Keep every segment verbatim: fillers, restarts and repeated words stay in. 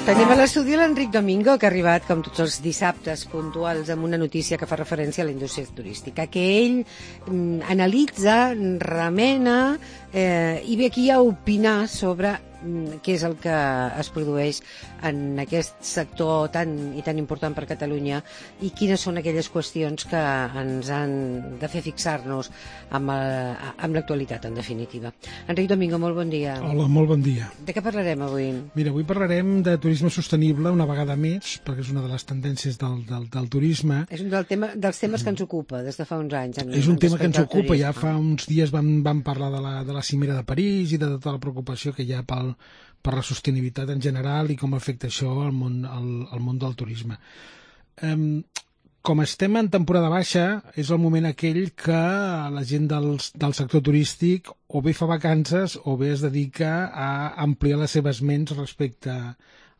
Tenim a l'estudi l'Enric Domingo, que ha arribat, com tots els dissabtes puntuals, amb una notícia que fa referència a la indústria turística, que ell mm, analitza, remena eh, i ve aquí a opinar sobre mm, què és el que es produeix en aquest sector tan i tan important per Catalunya i quines són aquelles qüestions que ens han de fer fixar-nos amb, el, amb l'actualitat, en definitiva. Enric Domingo, molt bon dia. Hola, molt bon dia. De què parlarem avui? Mira, avui parlarem de turisme sostenible una vegada més, perquè és una de les tendències del, del, del turisme. És un del tema, dels temes que ens ocupa des de fa uns anys. En, és un en tema que ens ocupa. turisme. Ja fa uns dies vam, vam parlar de la, de la cimera de París i de tota la preocupació que hi ha pel, per la sostenibilitat en general i com afecta això al món, al, al món del turisme. Um, com estem en temporada baixa, és el moment aquell que la gent dels, del sector turístic o bé fa vacances o bé es dedica a ampliar les seves ments respecte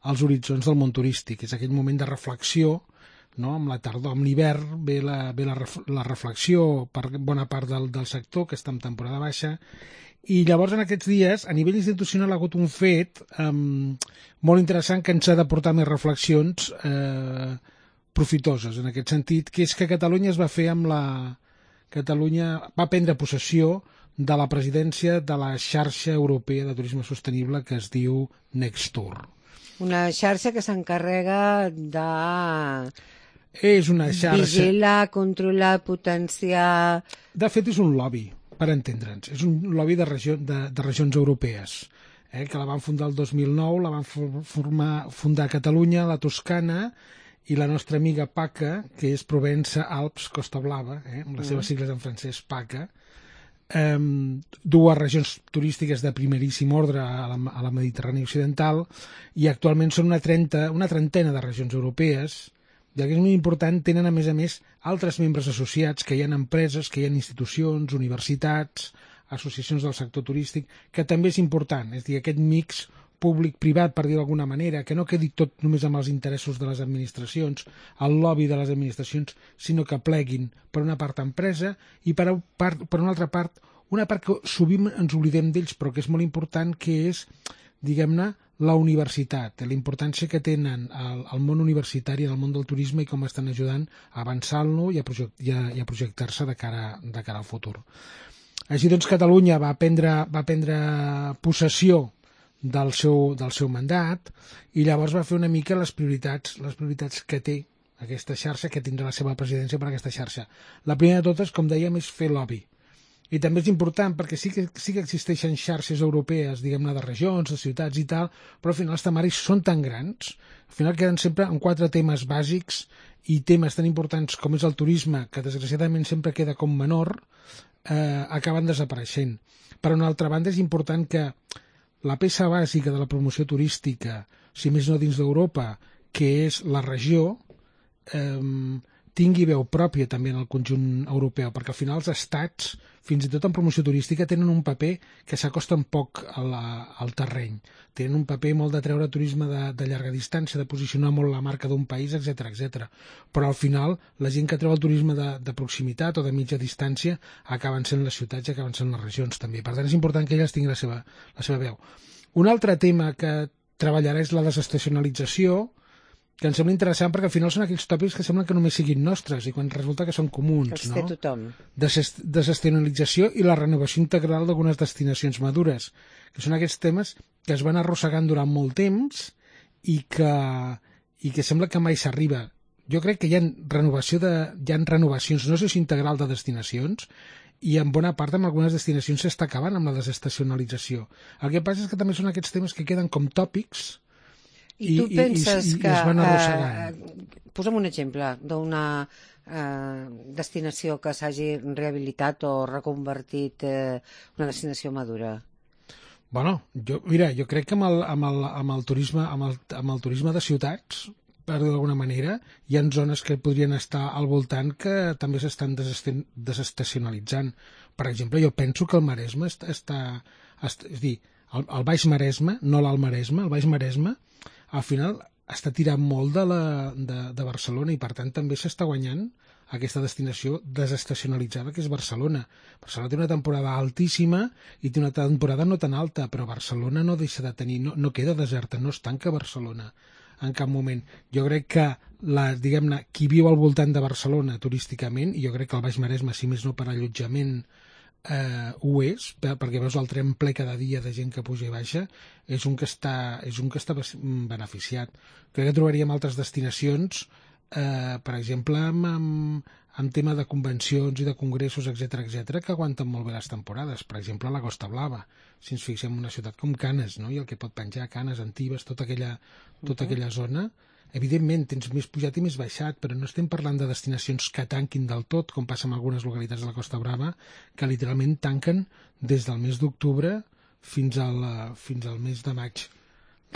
als horitzons del món turístic. És aquell moment de reflexió, no? Amb la tardor, amb l'hivern ve, la, ve la, la reflexió per bona part del, del sector, que està en temporada baixa, i llavors en aquests dies, a nivell institucional, ha hagut un fet um, molt interessant que ens ha de portar més reflexions eh, profitoses, en aquest sentit, que és que Catalunya es va fer amb la... Catalunya va prendre possessió de la presidència de la xarxa europea de turisme sostenible que es diu Nextour. Una xarxa que s'encarrega de... És una xarxa... vigilar, controlar, potenciar... De fet, és un lobby, per entendre'ns. És un lobby de, regió, de, de regions europees, eh, que la van fundar el dos mil nou, la van formar, fundar a Catalunya, la Toscana, i la nostra amiga PACA, que és Provença, Alps, Costa Blava, eh, amb les seves sigles en francès, PACA, eh, dues regions turístiques de primeríssim ordre a la, a la Mediterrània occidental, i actualment són una, trenta, una trentena de regions europees, i el que és molt important, tenen a més a més altres membres associats, que hi ha empreses, que hi ha institucions, universitats, associacions del sector turístic, que també és important, és a dir, aquest mix públic-privat, per dir d'alguna manera, que no quedi tot només amb els interessos de les administracions, el lobby de les administracions, sinó que pleguin per una part empresa i per, part, per una altra part, una part que sovint ens oblidem d'ells, però que és molt important, que és, diguem-ne, la universitat, la importància que tenen el, el món universitari en el món del turisme i com estan ajudant a avançar-lo i a, project, i a, i a projectar-se de cara, de cara al futur. Així doncs, Catalunya va prendre, va prendre possessió del seu, del seu mandat i llavors va fer una mica les prioritats, les prioritats que té aquesta xarxa, que tindrà la seva presidència per aquesta xarxa. La primera de totes, com dèiem, és fer lobby. I també és important perquè sí que, sí que existeixen xarxes europees, diguem-ne, de regions, de ciutats i tal, però al final els temaris són tan grans, al final queden sempre en quatre temes bàsics i temes tan importants com és el turisme, que desgraciadament sempre queda com menor, eh, acaben desapareixent. Per una altra banda, és important que la peça bàsica de la promoció turística, si més no dins d'Europa, que és la regió, eh, tingui veu pròpia també en el conjunt europeu, perquè al final els estats, fins i tot en promoció turística, tenen un paper que s'acosta un poc a la, al terreny. Tenen un paper molt de treure turisme de, de llarga distància, de posicionar molt la marca d'un país, etcètera, etcètera. Però al final, la gent que treu el turisme de, de proximitat o de mitja distància acaben sent les ciutats i acaben sent les regions també. Per tant, és important que elles tinguin la seva, la seva veu. Un altre tema que treballarà és la desestacionalització, que em sembla interessant perquè al final són aquells tòpics que semblen que només siguin nostres i quan resulta que són comuns, que els té no? tothom. Desestacionalització i la renovació integral d'algunes destinacions madures, que són aquests temes que es van arrossegant durant molt temps i que, i que sembla que mai s'arriba. Jo crec que hi ha, renovació de, hi ha renovacions, no sé si integral de destinacions, i en bona part amb algunes destinacions s'està acabant amb la desestacionalització. El que passa és que també són aquests temes que queden com tòpics. I tu penses i, i, que... I es van arrossegant. Eh, posa'm un exemple d'una eh, destinació que s'hagi rehabilitat o reconvertit eh, una destinació madura. Bueno, jo, mira, jo crec que amb el, amb el, amb el, turisme, amb el, amb el turisme de ciutats, per dir d'alguna manera, hi ha zones que podrien estar al voltant que també s'estan desestacionalitzant. Per exemple, jo penso que el Maresme està... està, està és a dir, el, el Baix Maresme, no l'Alt Maresme, el Baix Maresme, al final està tirant molt de, la, de, de Barcelona i per tant també s'està guanyant aquesta destinació desestacionalitzada que és Barcelona. Barcelona té una temporada altíssima i té una temporada no tan alta, però Barcelona no deixa de tenir, no, no queda deserta, no es tanca Barcelona en cap moment. Jo crec que la, diguem-ne, qui viu al voltant de Barcelona turísticament, i jo crec que el Baix Maresme, si més no per allotjament, eh, ho és, perquè veus el tren ple cada dia de gent que puja i baixa, és un que està, és un que està beneficiat. Crec que trobaríem altres destinacions, eh, per exemple, amb, amb, amb tema de convencions i de congressos, etcètera, etcètera, que aguanten molt bé les temporades. Per exemple, la Costa Blava, si ens fixem en una ciutat com Canes, no? I el que pot penjar, Canes, Antibes, tota aquella, tota uh-huh. aquella zona. Evidentment, tens més pujat i més baixat, però no estem parlant de destinacions que tanquin del tot, com passa en algunes localitats de la Costa Brava, que literalment tanquen des del mes d'octubre fins al, fins al mes de maig.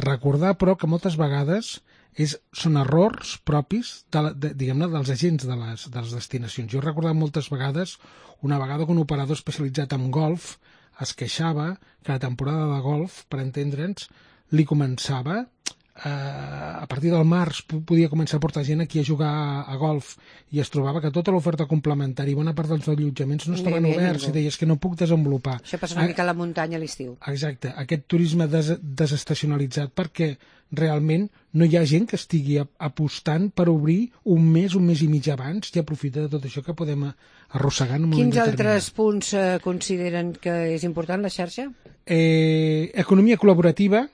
Recordar, però, que moltes vegades és, són errors propis de, de, diguem-ne, dels agents de les, de les destinacions. Jo he recordat moltes vegades, una vegada que un operador especialitzat en golf es queixava que la temporada de golf, per entendre'ns, li començava eh, a partir del març podia començar a portar gent aquí a jugar a, a golf i es trobava que tota l'oferta complementària i bona part dels allotjaments no estaven no oberts i deies que no puc desenvolupar. Això passa una mica a la muntanya a l'estiu. Exacte, aquest turisme des desestacionalitzat perquè realment no hi ha gent que estigui apostant per obrir un mes, un mes i mig abans i aprofitar de tot això que podem arrossegar en un moment determinat. Quins altres determinat. punts eh, consideren que és important la xarxa? Eh, economia col·laborativa,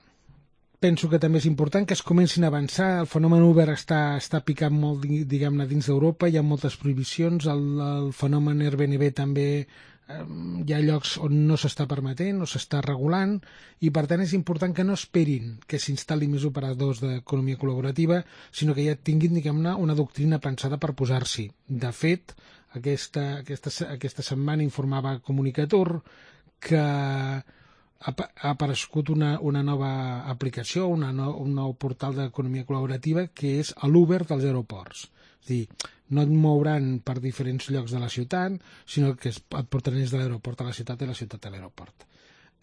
penso que també és important que es comencin a avançar. El fenomen Uber està, està picant molt, diguem-ne, dins d'Europa, hi ha moltes prohibicions, el, el fenomen Airbnb també eh, hi ha llocs on no s'està permetent, no s'està regulant, i per tant és important que no esperin que s'instal·li més operadors d'economia col·laborativa, sinó que ja tinguin, diguem-ne, una doctrina pensada per posar-s'hi. De fet, aquesta, aquesta, aquesta setmana informava Comunicator que ha aparegut una, una nova aplicació, una no, un nou portal d'economia col·laborativa que és l'Uber dels aeroports. És a dir, no et mouran per diferents llocs de la ciutat, sinó que et portaran des de l'aeroport a la ciutat i la ciutat a l'aeroport.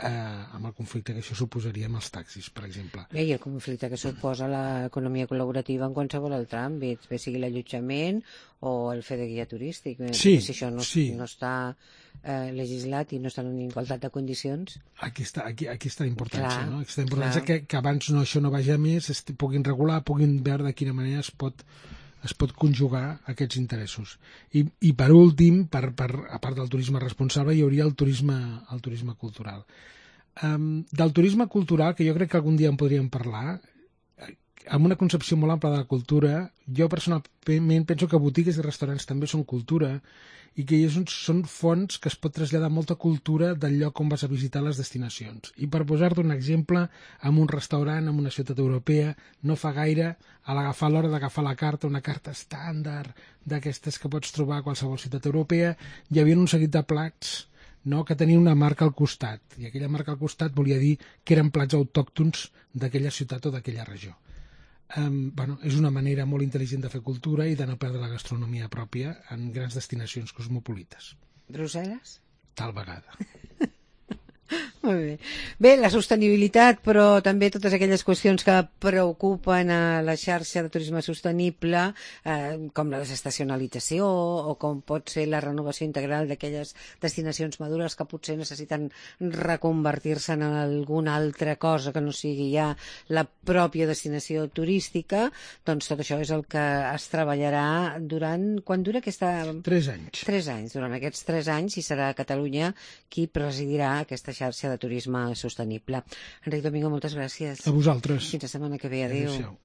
Eh, amb el conflicte que això suposaria amb els taxis, per exemple. Bé, i el conflicte que suposa l'economia col·laborativa en qualsevol altre àmbit, bé sigui l'allotjament o el fer de guia turístic. Sí, si això no, sí. no està eh, legislat i no està en igualtat de condicions. Aquí està, aquí, aquí està la importància, clar, no? Aquesta importància clar. que, que abans no, això no vagi a més, es puguin regular, puguin veure de quina manera es pot es pot conjugar aquests interessos. I, i per últim, per, per, a part del turisme responsable, hi hauria el turisme, el turisme cultural. Um, del turisme cultural, que jo crec que algun dia en podríem parlar, amb una concepció molt ampla de la cultura, jo personalment penso que botigues i restaurants també són cultura i que són fonts que es pot traslladar molta cultura del lloc on vas a visitar les destinacions. I per posar-te un exemple, en un restaurant, en una ciutat europea, no fa gaire, a l'agafar l'hora d'agafar la carta, una carta estàndard d'aquestes que pots trobar a qualsevol ciutat europea, hi havia un seguit de plats, no, que tenien una marca al costat, i aquella marca al costat volia dir que eren plats autòctons d'aquella ciutat o d'aquella regió. Um, bueno, és una manera molt intel·ligent de fer cultura i de no perdre la gastronomia pròpia en grans destinacions cosmopolites. Brussel·les? Tal vegada. Molt bé. Bé, la sostenibilitat, però també totes aquelles qüestions que preocupen a la xarxa de turisme sostenible, eh, com la desestacionalització o com pot ser la renovació integral d'aquelles destinacions madures que potser necessiten reconvertir-se en alguna altra cosa que no sigui ja la pròpia destinació turística, doncs tot això és el que es treballarà durant... Quan dura aquesta... Tres anys. Tres anys. Durant aquests tres anys i serà Catalunya qui presidirà aquesta xarxa de turisme sostenible. Enric Domingo, moltes gràcies. A vosaltres. Fins la setmana que ve. Adéu. Adéu-siau.